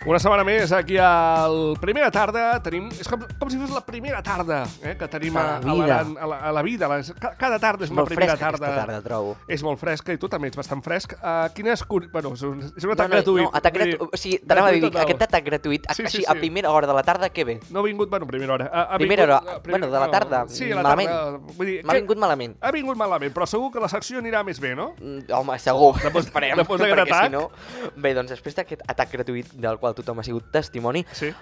Una setmana més aquí al Primera Tarda. Tenim, és com si fos la primera tarda que tenim a la vida. Cada tarda és una primera tarda. Aquesta tarda, trobo. És molt fresca i tu també ets bastant fresc. Quines... Bueno, és un atac gratuït. No, atac gratuït. O sigui, t'anava a dir, aquest atac gratuït, així a primera hora de la tarda, què ve? No ha vingut, bueno, primera hora. Primera hora, bueno, de la tarda, malament. M'ha vingut malament. Ha vingut malament, però segur que la secció anirà més bé, no? Home, segur. Esperem. Després d'aquest atac. Si no... Bé, doncs després d'aquest atac gratuït del qual tothom ha sigut testimoni,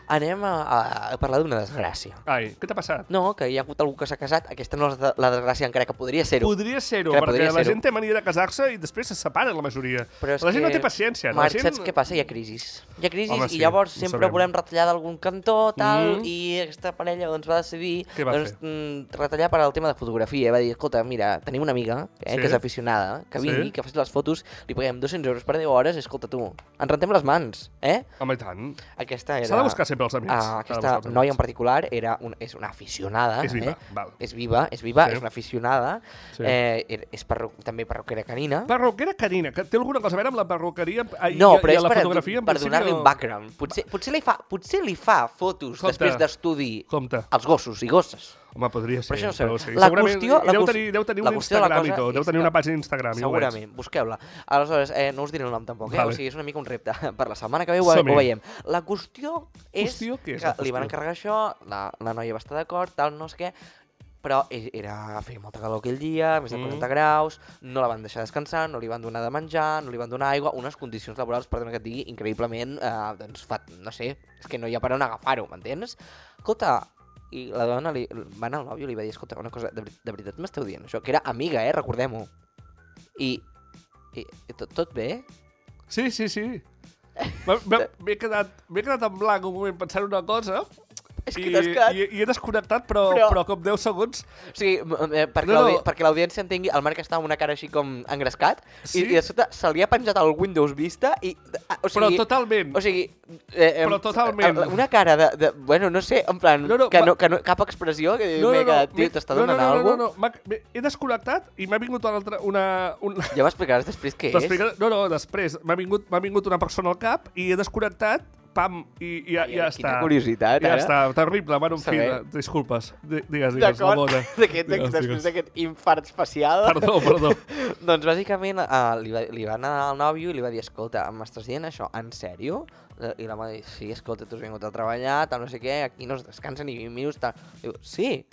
anem a parlar d'una desgràcia. Ai, què t'ha passat? No, que hi ha hagut algú que s'ha casat. Aquesta no és la desgràcia, encara que podria ser-ho. Podria ser-ho, perquè la gent té mania de casar-se i després se separen la majoria. La gent no té paciència. Marc, saps què passa? Hi ha crisis. Hi ha crisis i llavors sempre volem retallar d'algun cantó, tal, i aquesta parella doncs va decidir retallar per al tema de fotografia. Va dir, escolta, mira, tenim una amiga que és aficionada, que vingui, que faci les fotos, li paguem 200 euros per 10 hores, escolta tu, ens rentem les mans, eh? Home, i tant. Aquesta era... S'ha de buscar sempre els amics. Aquesta noia en particular és una aficionada. És viva, val. És viva, és una aficionada. És també perruquera canina. Perruquera canina, que té alguna cosa a veure amb la perruqueria i la fotografia? Per donar-li un background. Potser li fa fotos després d'estudi als gossos i gosses. Home, podria ser. Però això no sé. Deu tenir un Instagram i tot. Deu tenir una pàgina d'Instagram. Segurament, busqueu-la. Aleshores, no us diré el nom tampoc, o sigui, és una mica un repte. Per la setmana que ve ho veiem. La qüestió és que li van encarregar això, la noia va estar d'acord, tal, no sé què, però feia molta calor aquell dia, més de 40 graus, no la van deixar descansar, no li van donar de menjar, no li van donar aigua, unes condicions laborals, perdona que et digui, increïblement, doncs, no sé, és que no hi ha per on agafar-ho, m'entens? Escolta, i la dona va anar al nòvio i li va dir, escolta, una cosa, de veritat m'esteu dient això? Que era amiga, recordem-ho. I tot bé? Sí. M'he quedat en blanc un moment pensant una cosa i he desconnectat, però com 10 segons. O sigui, perquè l'audiència entengui, el Marc està amb una cara així com engrescat i de sota se li ha penjat el Windows Vista i... Però totalment. O sigui... Però totalment. Una cara de... Bueno, no sé, en plan, que no cap expressió, que m'he quedat, tio, t'està donant alguna cosa? No, he desconnectat i m'ha vingut una... Ja m'explicaràs després què és? No, després. M'ha vingut una persona al cap i he desconnectat, pam, i ja està. Quina curiositat, ja està, terrible, bueno, en fi, disculpes. Digues, la mona. Després d'aquest infart facial. Perdó. Doncs bàsicament li va anar al nòvio i li va dir, escolta, m'estàs dient això, en sèrio? I la mà va dir, sí, escolta, tu has vingut a treballar, tal, no sé què, aquí no es descansa ni 20 minuts, tal. Diu, sí.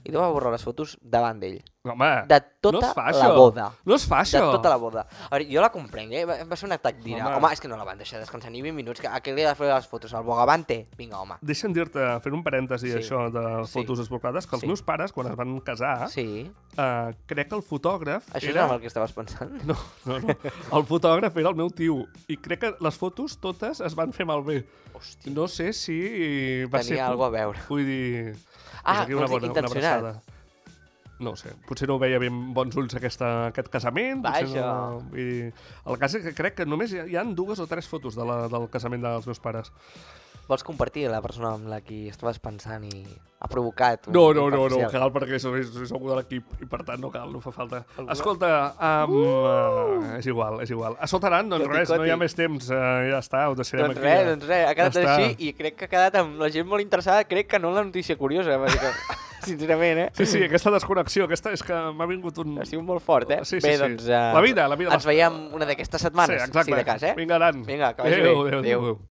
I li va borrar les fotos davant d'ell. Home, de tota la boda. No es fa això. De tota la boda. A veure, jo la comprenc, va ser un atac d'ira. Home, és que no la van deixar descansar ni 20 minuts. A què li ha de fer les fotos? Al Bogavante? Vinga, home. Deixa'm dir-te, fent un parèntesi això de fotos desbocades, que els meus pares, quan es van casar, crec que el fotògraf... Això era el que estaves pensant? No. El fotògraf era el meu tio. I crec que les fotos totes es van fer malbé. Hòstia. No sé si va ser... Tenia alguna a veure. Vull dir... intencionat. No ho sé, potser no ho veia ben bons ulls aquest casament. Vaja. El cas és que crec que només hi ha 2 o 3 fotos del casament dels meus pares. Vols compartir la persona amb la qui estaves pensant i ha provocat? No, cal, perquè és algú de l'equip i per tant no cal, no fa falta. Escolta, és igual. A Sotaran, doncs res, no hi ha més temps, ja està, ho deixarem aquí. Doncs res, ha quedat així i crec que ha quedat amb la gent molt interessada, crec que no la notícia curiosa, sincerament, Sí, aquesta desconnexió, aquesta és que m'ha vingut un... Ha sigut molt fort, Sí. Bé, doncs... La vida. Ens veiem una d'aquestes setmanes, si de cas, Vinga, Vinga, que vagi bé. Adéu.